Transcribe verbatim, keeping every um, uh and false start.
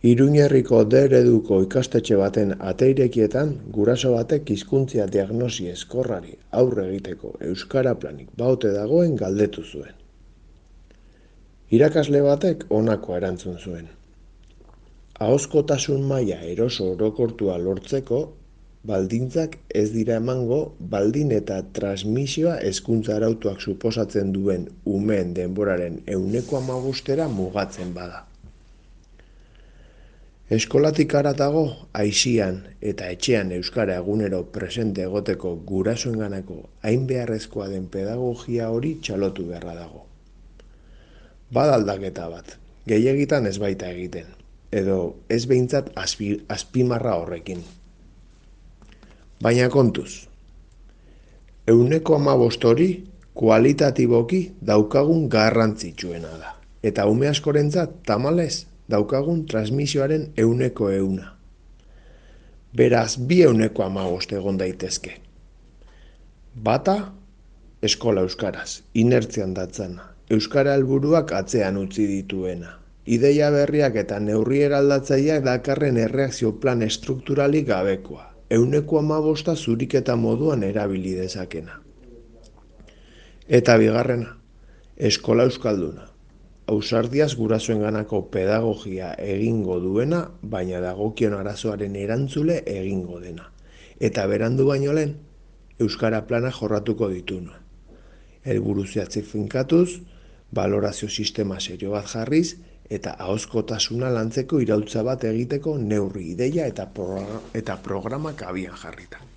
Iruñerriko D ereduko ikastetxe baten ate irekietan, guraso batek hizkuntzia diagnosi ezkorrari aurre egiteko euskara planik ba ote dagoen galdetu zuen. Irakasle batek honakoa erantzun zuen. Ahozkotasun maila eroso orokortua lortzeko, baldintzak ez dira emango baldin eta transmisioa hezkuntza arautuak suposatzen duen umeen denboraren ehuneko hamabostera mugatzen bada. Eskolatik haratago, aisian eta etxean euskara egunero presente egoteko gurasoenganako hain beharrezkoa den pedagogia hori txalotu beharra dago. Bada aldaketa bat, gehiegitan ez baita egiten, edo ez behintzat azpi, azpimarra horrekin. Baina kontuz, ehuneko hamabost hori kualitatiboki daukagun garrantzitsuena da, eta ume askorentzat tamalez daukagun transmisioaren ehuneko ehuna. Beraz, bi ehuneko hamabost egon daitezke. Bata, eskola euskaraz, inertzian datzana, euskara helburuak atzean utzi dituena. Ideia berriak eta neurri eraldatzaileak dakarren erreakzio plan estrukturalik gabekoa, ehuneko hamabosta zuriketa moduan erabili dezakena. Eta bigarrena, eskola euskalduna. Ausardiaz gurasoenganako pedagogia egingo duena, baina dagokion arazoaren erantzule egingo dena. Eta berandu baino lehen, euskara plana jorratuko dituna. Helburu zehatzik finkatuz, balorazio sistema serio bat jarriz, eta ahozkotasuna lantzeko iraultza bat egiteko neurri ideia eta programa, eta programak abian jarrita.